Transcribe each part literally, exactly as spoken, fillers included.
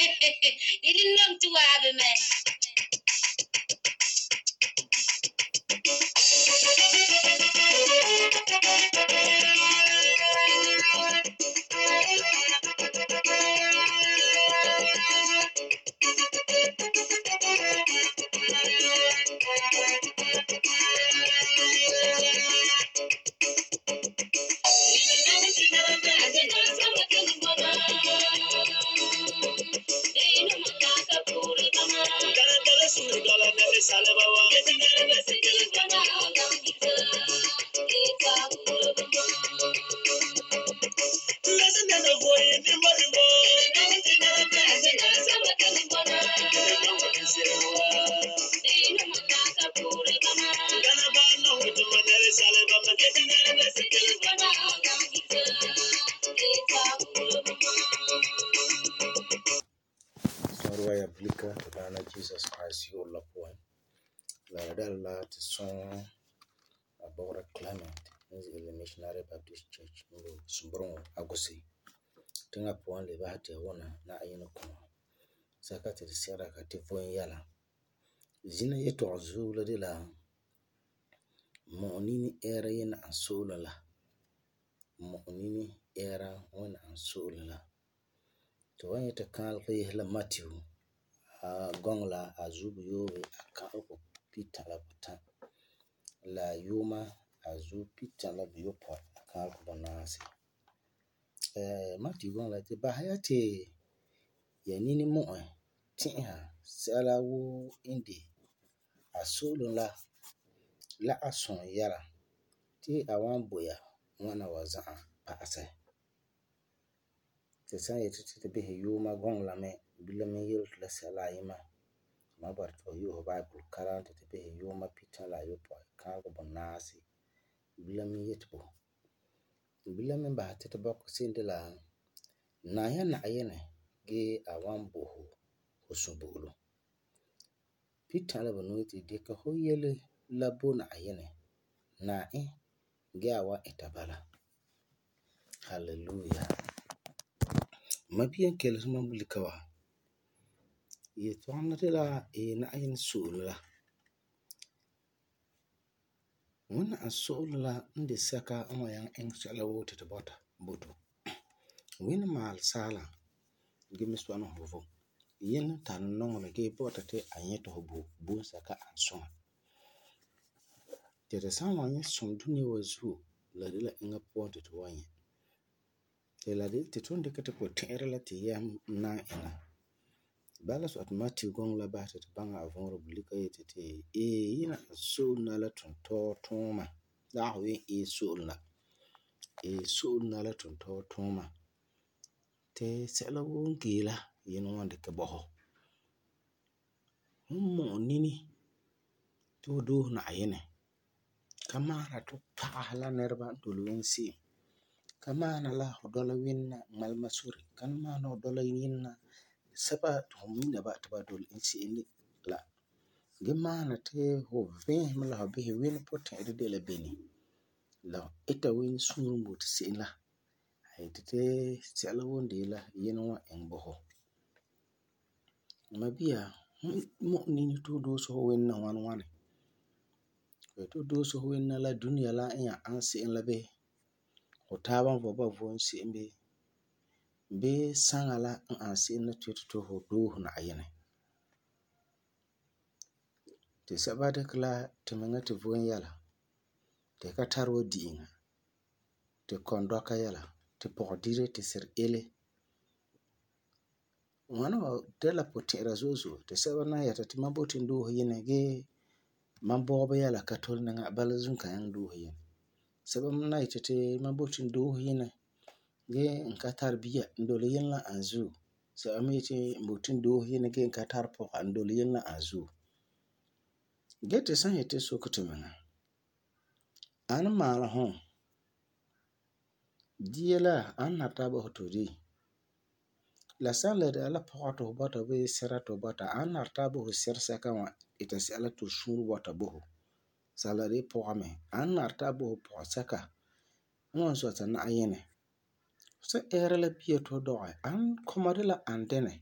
You didn't know to have it, man. Sorwaya blika to Dana Jesus Christ your la point. La dalla to song about Clement in the Missionary Baptist Church in Sumbron Agosi. Tinga point le ba te wona na ayino ko. Saka te sera ka te fon yala. Zina yeto azula de la mo nini era yin ansola la. Mo nini era wana ansola la. To wani ta kal ke la Matthew a gongla azubu yobe akal ko pita la buta la yuma azu pita la biyopo akal ko banasi eh Matthew gongla te bahayate ya nini mo tinha sala wo indi asulu la la ason yara ti awan boya wana wazan pa ase te san yete te bihi yuma gongla me bila me yel la sala yima ma bar to yo Bible karan te bihi yuma pita la yo po kan ko bonasi bila me yetbo bila me ba te bok sinde la na ya na ayene ge awan boho osubulu pita la bonu te de ka ho yele la bona ayene na e ge awa etabala hallelujah mabiyan keles man bulika wa ye tona de la e na ayin sula wona asula inde saka ama yang en sala wote te bota boto wina mal sala gimi swana hovo yin tan nong me ge bota te anyeto hobo bu saka anson te de sama yin som duni wazu la de la inga ponte to wanye te la de te tonde kete ko tere la te yam na ina bala so at Matthew gong la ba te banga avon republika yete te e yina so na la tonto toma da ho e so na e so na la tonto toma te sela won gila yin wonde ke boho mo nini to do na ayene kama ra to pahala nerba to luensi kama na la hodola winna mal masuri kama na hodola yinna saba to minda ba ta ba dol insi ni la gemana te ho vin mala ho be win pot e de la beni la eta win sunu mut sin la ay te sela wonde la yinwa en boho mabia mo nini to do so winna wan wan to do so winna la dunia la en ansi en la be o taban vo ba vo nsi be be sangala an ansi na to to ho do na ayene te sabade kla te menga te vo yala te ka tarwo diinga te kondoka yala te pokdire te ser ele wana de la potera zozo te sabana yata te mabotin do yene ge mambo yala katol nga balazun kan do yene sabam na yata te mabotin do yene ge nka tarbiya ndole yela anzu sabam yete mbotin do yene ge nka tar po ndole yela anzu gete san yete sokoto menga an mala hon diela an nata ba hoto di la sala de ala poto bota be serato bota an nata bo sersa kan ita si ala to shuru bota bo sala de pome an nata bo po saka on so ta na ayene so era la biye to do an komade la andene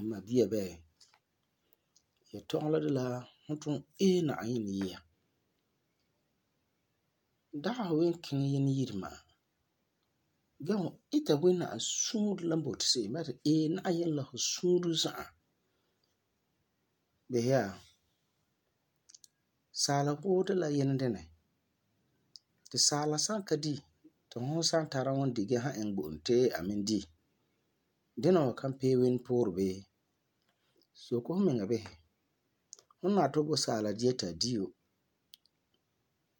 Ma bia bɛ ya tɔgum la de la fu tum ee Na'ayinɛ yia. Dagi fu wen kiŋɛ Yinɛ yire ma'a gee fu ita Wuna'am suure la n boti se'em ba ti ee Na'ayinɛ la fu suure za'a. Bisɛ ya, saala woo de la Yinɛ dinɛ ti saala san ka di ti fum san tara ŋun di gee han iŋɛ bo e ti a mi di, dina wa kan pee Wini puurɛ bii? Soke fu miŋa bisɛ. Fu nari fu bo saala dia ti a di yo,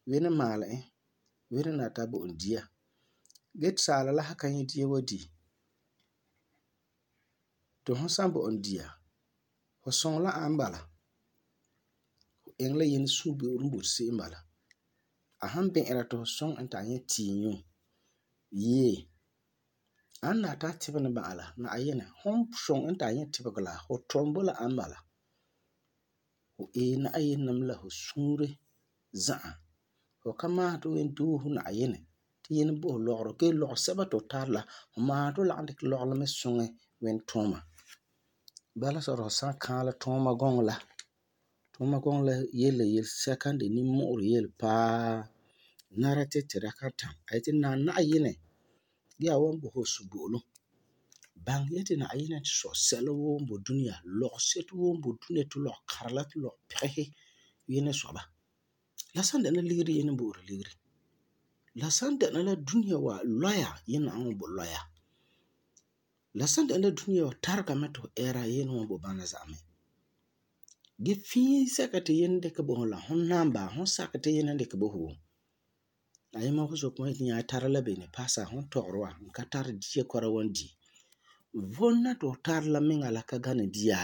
Wini maalɛ e, Wini nari ti a bo e dia gee ti saala la san ka nyɛ dia wa di ti fum san bo e dia, fu suŋɛ la e bala. Fu iŋɛ la Yinɛ suunbe'eoro n boti se'em n bala. A san bi'ira ti fu suŋɛ e ti a nyɛ tiinyu, yee, a n nari ti a tibɛ ni ba'a la, Na'ayinɛ fum suŋɛ e ti a nyɛ tibegɔ la, fu tum bo la e n bala. Fu ee Na'ayinɛ mɛ la fu suure za'a. Fu ka maasum ti fu wen doose Na'ayinɛ ti Yinɛ bo fu lɔgerɔ gee lɔgesɛba ti fu tari la, fu maasum ti fu lagum dikɛ lɔgerɔ la mɛ suŋɛ Wini tuuma. Bala sɔrɔ fu san kaalɛ tuuma gɔŋɔ la, tuuma gɔŋɔ la yele la yelesɛka n de nimmu'urɛ yele paa, nara ti tu da ka tam. A yeti nari Na'ayinɛ gee a wan bo fu subo'olum. Baŋɛ ya ti Na'ayinɛ sɔ sɛla woo n boi dunia, lɔgeseto woo n boi dunia ti lɔgekara la ti lɔgepigesi Yinɛ sɔ ba. La san dɛna ligeri Yinɛ n bo'ori ligeri. La san dɛna la dunia wa lɔya, Yinɛ na'am wan bo lɔya. La san dɛna la dunia wa tarega mɛ ti fu ɛɛra, Yinɛ wan bo bana za'a mɛ. Gee fii sɛka ti Yinɛ dikɛ bo fu la fum naam basɛ fum sakɛ ti Yinɛ dikɛ bo fu. Ayima fu soke ma yeti nya tara la bene pasa fum tɔgeri wa n ka tari dia kɔra wan di. Vom la ti fu tari la miŋa la ka gana dia?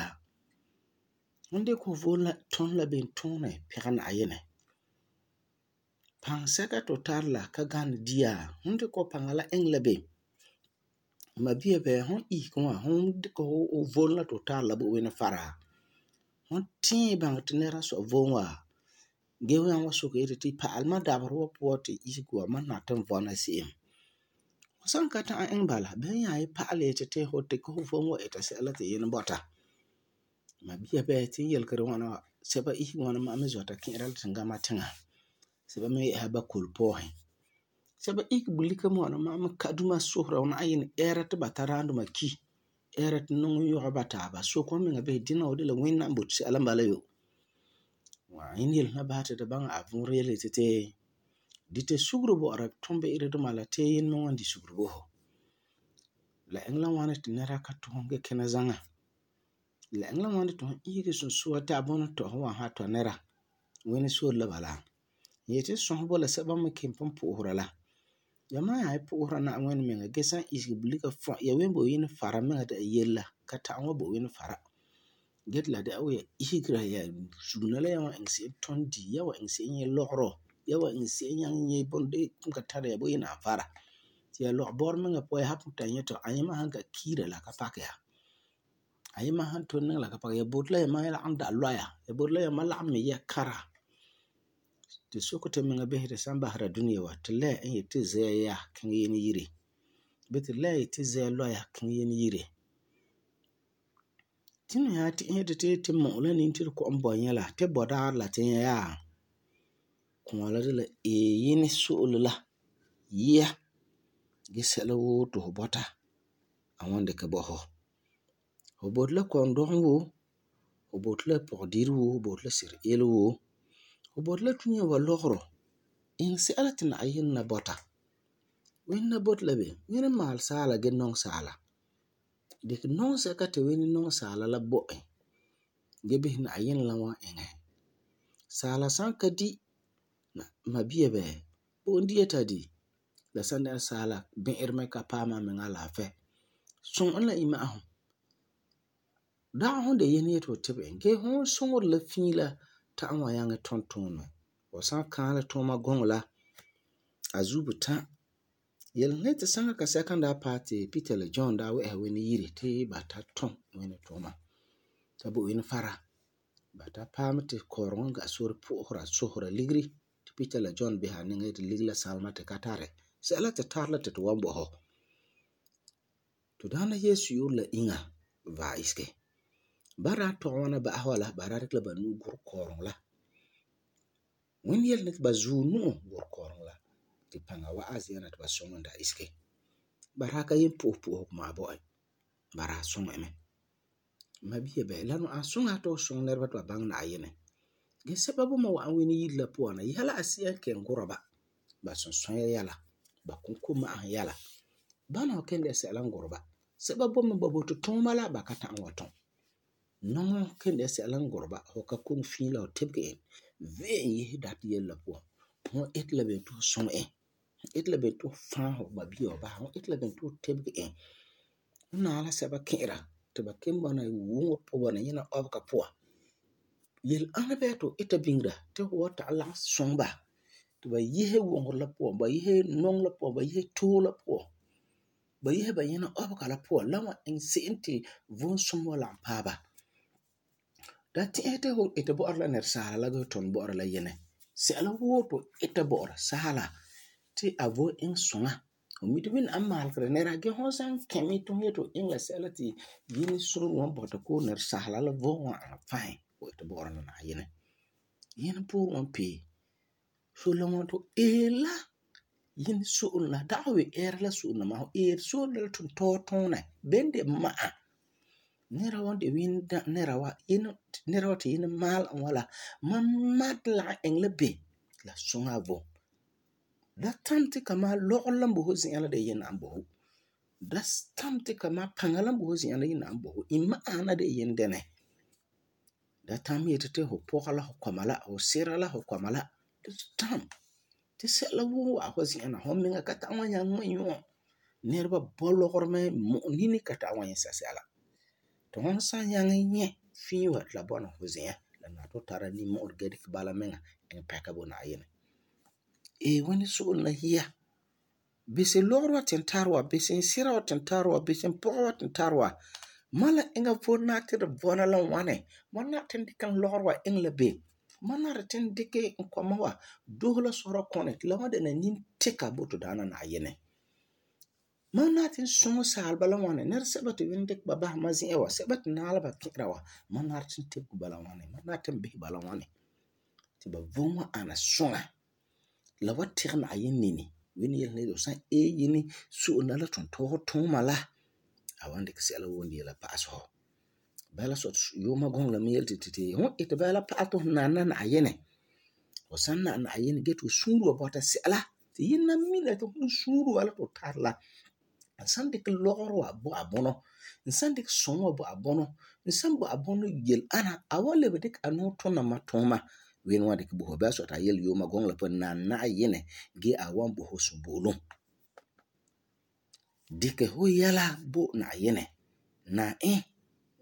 Fum dikɛ fu vom la tum la bene tuunɛ pɛgɛ Na'ayinɛ? Paŋa sɛka ti fu tari la ka gana dia? Fum dikɛ fu paŋa la iŋɛ la bene? Ma bia bɛ, fum isege wa fum dikɛ fu vom la ti fu tari la bo Wini fara? Fum tiɛ baŋɛ ti nɛra sɔ vom wa gee nyaŋɛ wan soke yeti pa'alɛ mam dabeserɛ wa puan ti isege wa mam nari ti n vɔna se'em. Fu san ka ta'am iŋɛ bala, bɛma nya pa'alɛ yeti fu dikɛ fu vom wa ita sɛla ti Yinɛ bɔta? Ma bia bɛ ti n yelegeri ŋwana wa, sɛba isege ŋwana ma'a mi zɔta ki'ira la tingama tiŋa. Sɛba mi yɛ'ɛsa Bakoli-pɔɔsin. Sɛba isege bulika me ŋwana ma'a mi ka duma sohora Na'ayinɛ ɛɛra ti ba tadaanduma ki, ɛɛra ti nɔŋɔ yɔgɛ ba taaba. Soke fu miŋa bisɛ dina wa de la Wini n boti sɛla n bala yo. Yinɛ yele la basɛ ti tu baŋɛ a vuurɛ yele yeti ti dita sugeri bɔ'ɔra tumbe'ere duma la ti Yinɛ me wan di sugeri bo fu. La iŋɛ la ŋwani ti nɛra ka tum gee kina zaŋa? La iŋɛ la ŋwani ti fu isege sunsua ti a bunɔ tɔ fu wan han tɔ nɛra? Wini sore la bala. N yeti sɔsɛ bo la sɛba me kelum pugum pu'usera la. Yamam nya pu'usera Na'ayinɛ miŋa gee san isege bulika fɔa ya wen bo Yinɛ fara miŋa de la yele la ka ta'am wan bo Wini fara. Gee ti la dɛna wuu ya isegera ya sugena la ya wan iŋɛ se'em tum di, ya wan iŋɛ se'em nyɛ lɔgerɔ, ya wan iŋɛ se'em nyaŋɛ nyɛ bunde'e n ka tari ya bo Yinɛ n fara. Ti ya lɔgebɔrɛ miŋa puan ya san pugum ta nyɛ ti ayima san ka kiira la ka pakɛ ya. Ayima san tole niŋa la ka pakɛ ya. Ya boti la yamam lagum da lɔya, ya boti la yamam lagum mi yɛ kara. Ti soke tu miŋa bisɛ tu san basera dunia wa tu lɛ n yeti zɛa ya kiŋɛ Yinɛ yire bii tu lɛ n yeti zɛa lɔya kiŋɛ Yinɛ yire. Ti ni nyaa ti'isɛ ti tu mu'u la niiŋɔ ti tu kɔ'ɔm bɔ nyɛ la ti bɔdaarɛ la ti nyɛ yaa? Kũa la de la ee Yinɛ so'ole la yia gee sɛla woo ti fu bɔta a wan dikɛ bo fu. Fu boti la kɔndɔŋɔ woo, fu boti la pɔgedire woo, fu boti la sir'ele woo, fu boti la dunia wa lɔgerɔ, iŋɛ sɛla ti Na'ayinɛ la bɔta. Wini la boti la bene? Wini maalɛ saala gee nɔŋɛ saala. Dikɛ nɔŋɛ sɛka ti Wini nɔŋɛ saala la bo e gee bisɛ Na'ayinɛ la wan iŋɛ. Saala san ka di, ma bia bɛ, bo e dia ti a di. La san dɛna saala bi'irɛ mɛ ka paam amiŋa alaafɛ, suŋɛ e la imma'asum. Dagi fum de Yinɛ yeti fu tibɛ e gee fum suŋeri la fii la ta'am wan nyaŋɛ tum tuunɛ. Fu san kaalɛ tuuma gɔŋɔ la, a zuo buta. Yelesiŋa yeti saŋa kasɛka n daa paɛ ti Peter la John daa wɛ'ɛsa Wini yire ti ba ta tum Wini tuuma ta bo Wini fara. Ba ta paɛ mɛ ti kɔɔreŋɔ n ga sore pu'usera sohora ligeri ti Peter la John bisɛ a niŋa yeti ligeri la salema tu ka tari. Sɛla tu tari la ti tu wan bo fu. Tu Daana Yeesu yu'urɛ la inya vaɛ isege. Ba daa tɔgɛ ŋwana ba'asɛ wa la, ba daa dikɛ la ba nu'o gurɛ kɔɔreŋɔ la. Wuni yele ni ti ba zuɔ nu'o gurɛ kɔɔreŋɔ la ti paŋa wa'am zi'an na ti ba suŋɛ e da isege. Ba daa ka yen po'e po'osegɔ ma'an bo e. Ba daa suŋɛ e mɛ. Mabia bɛ, la no ani suŋa ti fu suŋɛ nɛreba ti ba baŋɛ Na'ayinɛ. Gee sɛba boi mɛ wa'am Wini yire la puan na yɛla asi'a n kelum gurɛ ba. Ba sunsɔa yɛla, ba komkoma'ahum yɛla. Bana wa kelum dɛna sɛla n gurɛ ba. Sɛba boi mɛ ba boti tuuma la ba ka ta'am wa tum. Nɔŋɔ kelum dɛna sɛla n gurɛ ba. Fu ka koŋe fii la fu tebege e ve'e e yese dati yele la puan. Fu iti la beni ti fu suŋɛ e. Fu iti la beni ti fu faɛ fu babia wa basɛ. Fu iti la beni ti fu tebege e. Fu naɛ la sɛba ki'ira ti ba kelum bɔna wuŋerɛ puan bɔna yina ɔbega puan. Yele-ana bɛɛ ti fu ita biŋera ti fu wan ta'am lagum suŋɛ ba ti ba yese wuŋerɛ la puan, ba yese nɔŋɔ la puan, ba yese too la puan, ba yese ba yina ɔbega la puan la wan iŋɛ se'em ti vom sumɔ wan lagum paɛ ba. Da ti'isɛ ti fu iti bɔ'ɔra la nɛresaala la gee fu tuni bɔ'ɔra la yinɛ. Sɛla woo ti fu ita bɔ'ɔra saala ti a vom iŋɛ suŋa. Fu mi ti Wini n malegeri nɛra gee fu san kɛ me ti fu yeti fu iŋɛ la sɛla ti Yinɛ suure wan bɔta koo nɛresaala la vom wan ana fine fu iti bɔ'ɔra la Na'ayinɛ. Yinɛ puurɛ wan pee. So la ŋwana ti fu eeri la Yinɛ so'olum la dagi fu eera la so'olum la ma'a, fu eeri so'olum la tuntɔɔ tuunɛ beni de ma'a. Nɛra wan de Wini nɛra wa, nɛra wa ti Yinɛ maalɛ e wa la, mam ma ti lagum iŋɛ la ben ti la suŋɛ a vom. Da tam ti kamaa lɔgerɔ la n boi fu zi'an la de la Yinɛ n bo fu. Da tam ti kamaa paŋa la n boi fu zi'an la Yinɛ n bo fu. Imma'asum la de la Yinɛ dɛnɛ. Da tam yeti ti fu pɔga la fu kɔma la, fu sira la fu kɔma la. Da tam ti sɛla woo n wa'am fu zi'an na fu miŋa ka ta'am wan nyaŋɛ ŋmɛ nyuuɔ. Nɛreba bɔ lɔgerɔ mɛ mu'ɛ nini ka ta'am wan nyɛ sɛsɛla. Ti fu san nyaŋɛ nyɛ fii wa ti la bɔna fu zi'an la nari ti fu tara nimmu'urɛ gee dikɛ bala miŋa iŋɛ pɛka bo Na'ayinɛ. Ee Wini so'olum la yia. Bisɛ lɔgerɔ wa ti n tari wa, bisɛ n sira wa ti n tari wa, bisɛ n pɔga wa ti n tari wa, mam la eŋa vom nari ti di bɔna la ŋwani. Mam nari ti n dikɛ n lɔgerɔ wa iŋɛ la ben. Mam nari ti n dikɛ n kɔma wa doose la sɔrɔɔ kɔnɛ ti la wan dɛna nimtɛka bo tu daana Na'ayinɛ. Mam nari ti n suŋɛ saaleba la ŋwani. Nɛresɛba ti Wini dikɛ ba basɛ mam zi'an wa, sɛba ti naɛ la ba ki'ira wa, mam nari ti n tebege ba la ŋwani. Mam nari ti n bisɛ ba la ŋwani ti ba vom wan ana suŋa. La wan tɛgɛ Na'ayinɛ nini. Wini yele ni fu san ee Yinɛ so'olum la la tuntɔɔ tuuma la, a wan dikɛ sɛla woo n de la pa'asɛ fu. Bala sɔ yuuma guŋɔ la mi yele ti ti fu iti bala pa'alɛ ti fu nani la Na'ayinɛ. Fu san nani Na'ayinɛ gee ti fu suure wa bɔta sɛla ti Yinɛ mina ti fu suure wa la ti fu tari la, n san dikɛ lɔgerɔ wa bo a bunɔ, n san dikɛ suŋa wa bo a bunɔ, n san bo a bunɔ yele-ana, a wan lebe dikɛ a nuu tuna mam tuuma. Wini wan dikɛ bo fu. Bala sɔ ti a yele yuuma guŋɔ la puan nani Na'ayinɛ gee a wan bo fu suboolum. Dikɛ fu yɛla bo Na'ayinɛ, na e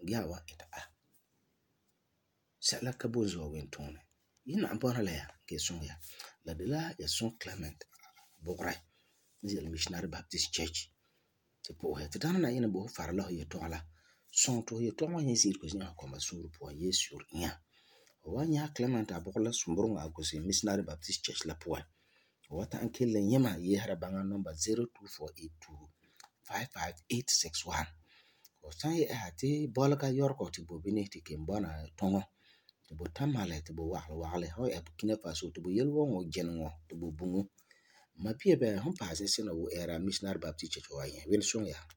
gee a wan ita a. Sɛla ka boi n zua Wini tuunɛ. Yina n bɔna la ya gee suŋɛ ya. La de la ya sum Clement bugurɛ n ze'ele Missionary Baptist Church. Ti pu'usɛ ti Daana Na'ayinɛ bo fu fara la fu yetɔgum la. Suŋɛ ti fu yetɔgum wan nyɛ zi'irego zi'an fu kɔma suure puan Yesu yure inya. Fu wan nyɛ Clement a bugurɛ la sumbureŋɔ a gusɛ Missionary Baptist Church la puan. Fu wan ta'am kelum la nyɛ ma yesera baŋa number zero two four eight two five five eight six one. Fu san yɛ'ɛsa ti bɔlega yɔregɔ ti bo bini ti kelum bɔna tuŋɔ ti bo tamale ti bo wagelɛ wagelɛ. Fu san yɛ'ɛsa Burkina Faso ti bo yele wɔŋɔ jineŋɔ ti bo buŋɔ. Mabia bɛ, fum paɛ zɛsina woo ɛɛra Missionary Baptist Church wa nyɛ. Wini suŋɛ ya.